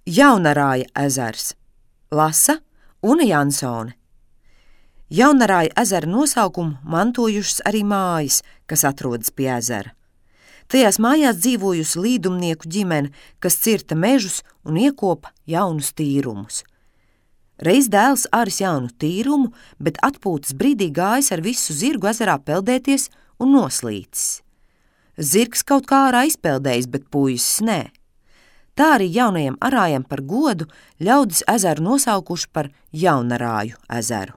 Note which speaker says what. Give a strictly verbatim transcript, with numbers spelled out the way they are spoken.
Speaker 1: Jaunarāja ezers. Lasa Una Jansone. Jaunarāja ezera nosaukumu mantojušas arī mājas, kas atrodas pie ezera. Tajās mājās dzīvojusi līdumnieku ģimene, kas cirta mežus un iekopa jaunus tīrumus. Reiz dēls aris jaunu tīrumu, bet atpūtas brīdī gājis ar visu zirgu ezerā peldēties un noslīcis. Zirgs kaut kā ārā izpeldējis, bet puisis nē. Tā arī jaunajam arājam par godu ļaudis ezeru nosaukuši par Jaunarāju ezeru.